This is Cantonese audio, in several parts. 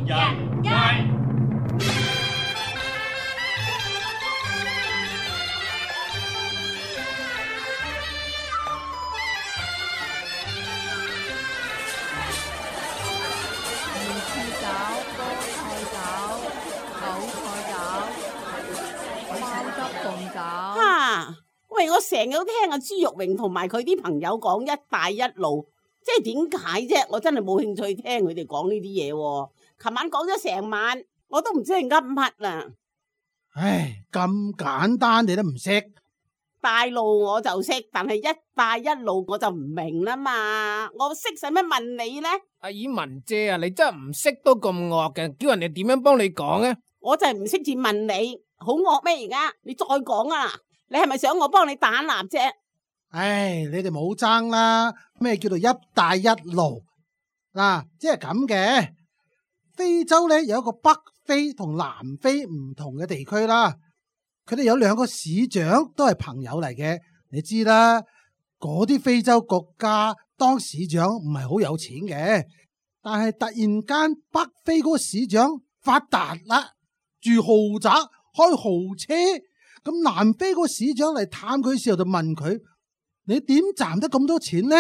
人街。喂，我成日都聽阿朱玉榮同埋佢啲朋友講一帶一路，即係點解啫？我真係冇興趣聽佢哋講呢啲嘢。琴晚講咗成晚，我都唔知係噏乜啦。唉，咁簡單你都唔識？大路我就識，但係一帶一路我就唔明啦嘛。我識使乜問你呢？阿姨文姐啊，你真係唔識都咁惡嘅，叫人哋點樣幫你講呢？我就係唔識字問你，好惡咩？而家你再講啊！你係咪想我幫你打蠟啫？唉，你哋冇爭啦。咩叫做一帶一路？嗱，即係咁嘅。非洲咧有一個北非同南非唔同嘅地區啦。佢哋有兩個市長都係朋友嚟嘅。你知啦，嗰啲非洲國家當市長唔係好有錢嘅，但係突然間北非嗰個市長發達啦，住豪宅，開豪車。咁南非個市長嚟探佢嘅時候就問佢：你點賺得咁多錢呢？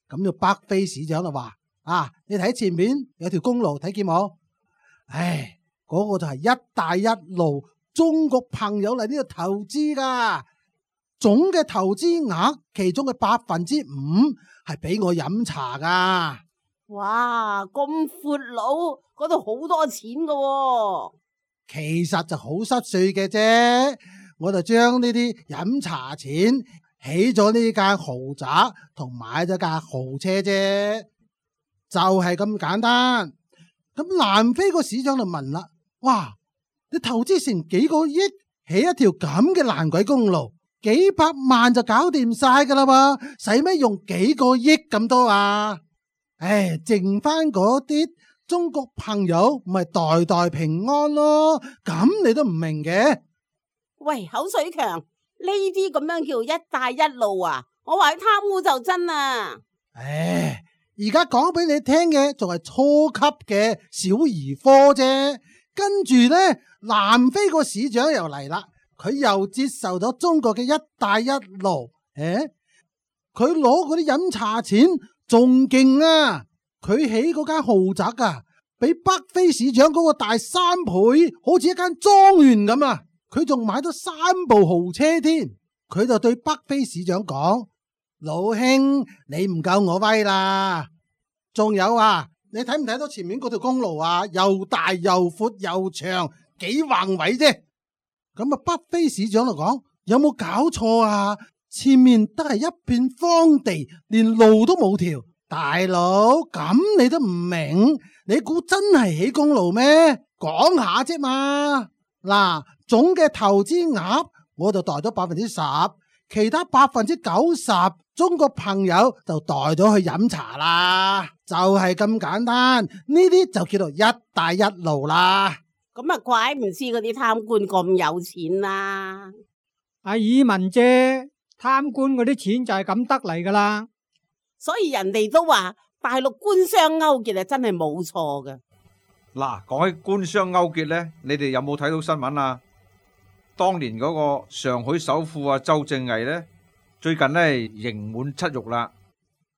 咁就北非市長就話：你睇前面有條公路，睇見冇？唉，嗰個就係一帶一路，中國朋友嚟呢度投資噶，總嘅投資額其中嘅5%係俾我飲茶噶。哇，咁闊佬，嗰度好多錢噶喎。其實就好濕碎嘅啫。我就將呢啲飲茶錢起咗呢間豪宅同買咗架豪車啫，就係咁簡單。咁南非個市長就問啦：哇，你投資成幾個億起一條咁嘅爛鬼公路，幾百萬就搞掂晒噶啦噃，使咩用幾個億咁多啊？唉，剩翻嗰啲中國朋友唔係代代平安咯，咁你都唔明嘅？喂，口水強，呢啲咁樣叫一帶一路啊？我話佢貪污就真啊！唉，而家講俾你聽嘅仲係初級嘅小兒科啫。跟住呢，南非個市長又嚟啦，佢又接受咗中國嘅一帶一路。佢攞嗰啲飲茶錢仲勁啊！佢起嗰間豪宅啊，比北非市長嗰個大3倍，好似一間莊園咁啊！佢仲買咗3部豪車添，佢就對北非市長講：老兄，你唔夠我威啦！仲有啊，你睇唔睇到前面嗰條公路啊？又大又闊又長，幾橫位啫！咁啊，北非市長就講：有冇搞錯啊？前面都係一片荒地，連路都冇條。大佬，咁你都唔明？你估真係起公路咩？講下啫嘛！嗱，總嘅投資額我就代咗10%，其他90%中國朋友就代咗去飲茶啦，就係咁簡單。呢啲就叫做一帶一路啦。咁啊，怪唔知嗰啲貪官咁有錢啦。阿爾文姐，貪官嗰啲錢就係咁得嚟噶啦。所以人哋都話大陸官商勾結係真係冇錯嘅。嗱，講起官商勾結呢，你哋有冇睇到新聞啊？當年嗰個上海首富啊周正毅呢，最近呢刑滿出獄啦。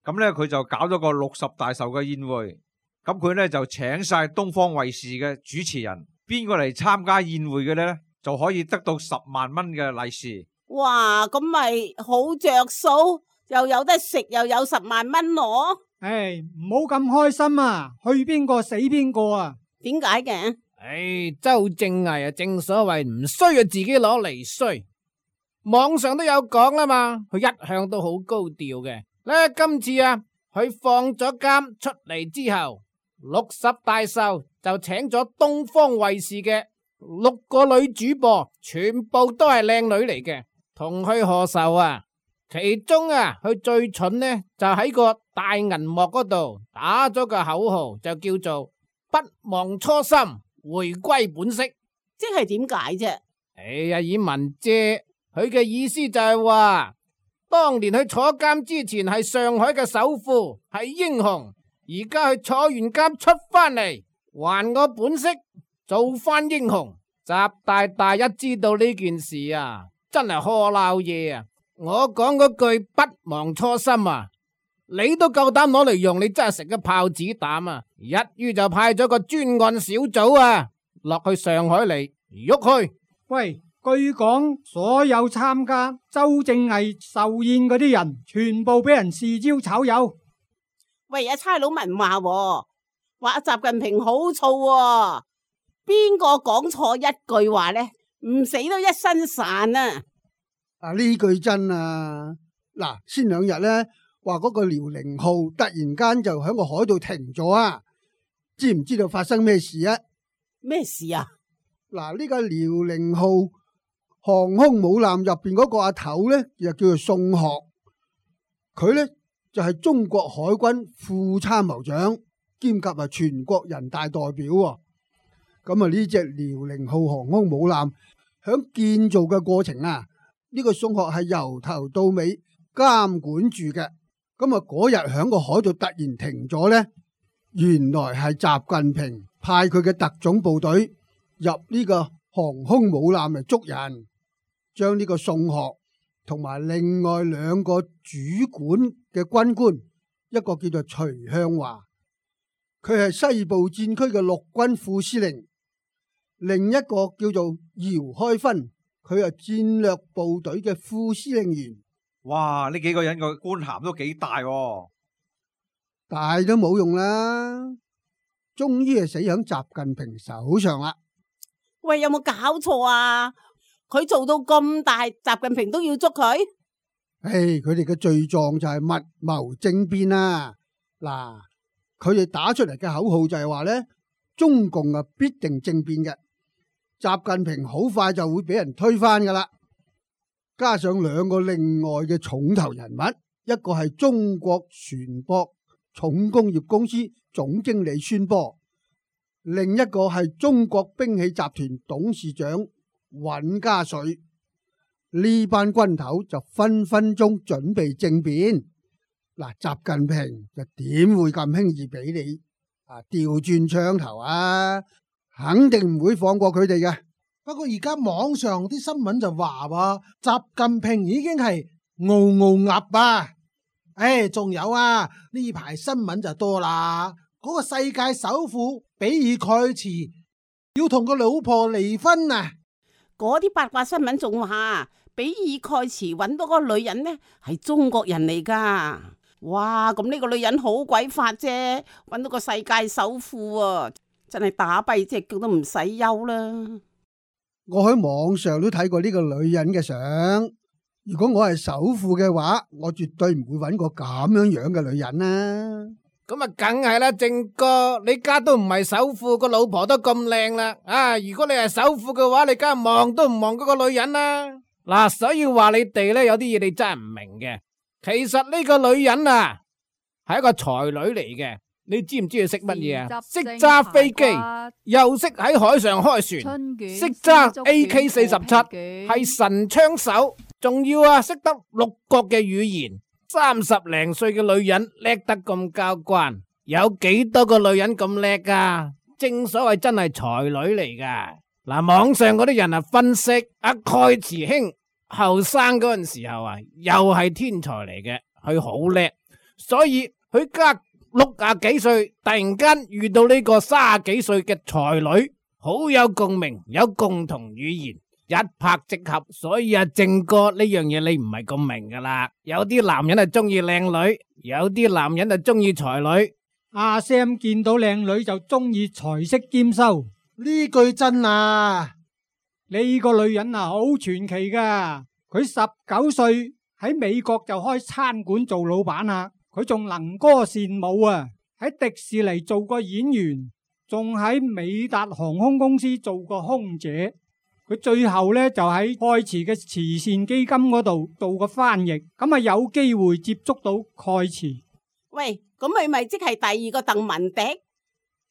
咁呢佢就搞咗個60大壽嘅宴會，咁佢呢就請晒東方衛視嘅主持人，邊個嚟參加宴會嘅呢，就可以得到10萬蚊嘅利是。哇，咁咪好着數，又有得食，又有10萬蚊攞。唉，唔好咁開心啊，去邊個死邊個啊？點解嘅？周正毅啊，正所謂唔衰啊，自己攞嚟衰。網上都有講啦嘛，佢一向都好高調嘅。咧今次啊，佢放咗監出嚟之後，60大壽就請咗東方衛視嘅6個女主播，全部都係靚女嚟嘅，同佢賀壽啊。其中啊，佢最蠢呢，就喺個大銀幕嗰度打咗個口號，就叫做不忘初心，回歸本色。即係點解啫？以文姐佢嘅意思就係話，當年佢坐監之前係上海嘅首富，係英雄，而家佢坐完監出翻嚟，還我本色，做翻英雄。習大大一知道呢件事啊，真係呵鬧嘢啊！我講嗰句不忘初心啊，你都夠膽攞嚟用，你真係食咗炮子彈啊！一於就派咗個專案小組啊，落去上海嚟喐去。喂，據講所有參加周正毅壽宴嗰啲人，全部俾人示招炒魷。喂，阿差佬文話阿習近平好燥喎，邊個講錯一句話呢？唔死都一身潺啊！呢句真啊！嗱，先2日呢，話嗰個遼寧號突然間就喺個海度停咗啊！知唔知道發生咩事啊？咩事啊？嗱，呢個遼寧號航空母艦入邊嗰個阿頭呢，就叫做宋學，佢呢，就係中國海軍副參謀長，兼及係全國人大代表喎。咁啊，呢隻遼寧號航空母艦響建造嘅過程啊，呢個宋學係由頭到尾監管住嘅。咁啊，嗰日響個海度突然停咗呢，原來係習近平派佢嘅特種部隊入呢個航空母艦嚟捉人，將呢個宋學同埋另外2個主管嘅軍官，一個叫做徐向華，佢係西部戰區嘅陸軍副司令，另一個叫做姚開芬，佢係戰略部隊嘅副司令員。哇！呢幾個人個官銜都幾大喎，大都冇用啦，終於係死響習近平手上啦。喂，有冇搞錯啊？佢做到咁大，習近平都要捉佢？佢哋嘅罪狀就係密謀政變啊！嗱，佢哋打出嚟嘅口號就係話呢，中共啊必定政變嘅，習近平好快就會俾人推翻噶啦。加上2個另外嘅重頭人物，一個係中國船舶重工業公司總經理孫波，另一個係中國兵器集團董事長尹家水。呢班軍頭就分分鐘準備政變。嗱，習近平就點會咁輕易俾你調轉槍頭啊？肯定唔會放過佢哋嘅。不過而家網上啲新聞就話習近平已經係傲傲鴨啊！仲有啊，呢排新聞就多啦。嗰個世界首富比爾蓋茨要同個老婆離婚啊！嗰啲八卦新聞仲話，比爾蓋茨揾到個女人呢係中國人嚟噶。哇！咁呢個女人好鬼法啫，揾到個世界首富啊，真係打跛隻腳都唔使憂啦。我喺網上都睇過呢個女人嘅相，如果我係首富嘅話，我絕對唔會揾個咁樣嘅女人啦。咁啊，梗係啦，正哥，你家都唔係首富，個老婆都咁靚啦。如果你係首富嘅話，你梗係望都唔望嗰個女人啦。嗱，所以話你哋呢，有啲嘢你真係唔明嘅。其實呢個女人啊，係一個才女嚟嘅。你知唔知佢識乜嘢啊？識揸飛機，又識喺海上開船，識揸 AK-47，係神槍手，仲要識得6國嘅語言。30零歲嘅女人叻得咁交關，有幾多個女人咁叻噶？正所謂真係才女嚟噶。嗱，網上嗰啲人分析阿蓋茨兄後生嗰陣時候又係天才嚟嘅，佢好叻，所以佢家60幾歲突然間遇到呢個30幾歲嘅才女，好有共鳴，有共同語言，一拍即合。所以正哥，呢樣嘢你唔係咁明噶啦。有啲男人係中意靚女，有啲男人就中意才女。阿 Sam 見到靚女就中意才識兼收，呢句真啊！呢個女人好傳奇噶。佢19歲喺美國就開餐館做老闆啦。佢仲能歌善舞啊！喺迪士尼做過演員，仲喺美達航空公司做過空姐。佢最後呢，就喺蓋茨嘅慈善基金嗰度做過翻譯，咁有機會接觸到蓋茨。喂，咁佢咪即係第2個鄧文迪？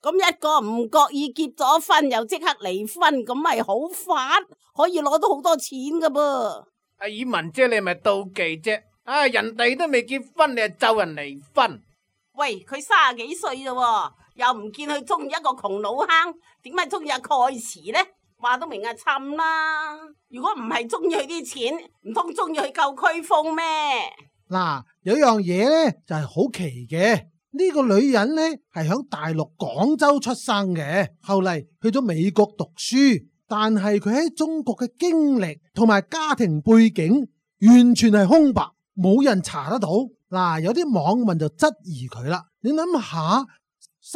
咁一個唔覺意結咗婚又即刻離婚，咁咪好發，可以攞到好多錢噶噃。阿以文姐，你係咪妒忌啫？人哋都未結婚，你就咒人離婚，喂，佢30幾歲啫，又唔見佢中意一個窮老坑，點解中意阿蓋茨呢？話都明係氹啦。如果唔係中意佢啲錢，唔通中意佢夠區風咩？嗱，有樣嘢呢就係好奇嘅，呢個女人呢係響大陸廣州出生嘅，後嚟去咗美國讀書，但係佢喺中國嘅經歷同埋家庭背景完全係空白，冇人查得到。嗱，有啲網民就質疑佢啦。你諗下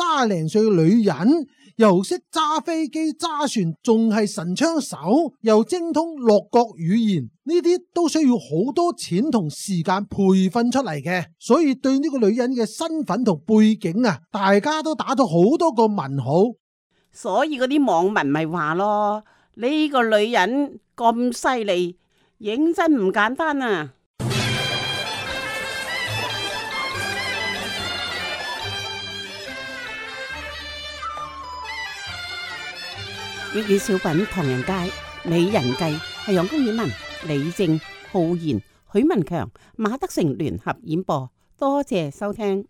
，30零歲嘅女人又識揸飛機揸船，仲係神槍手，又精通6國語言，呢啲都需要好多錢同時間培訓出嚟嘅。所以對呢個女人嘅身份同背景啊，大家都打咗好多個問號。所以嗰啲網民咪話咯，呢個女人咁犀利，認真唔簡單啊！粵語小品《唐人街》美人計係楊公演文、李正、浩然、許文強、馬德成聯合演播，多謝收聽。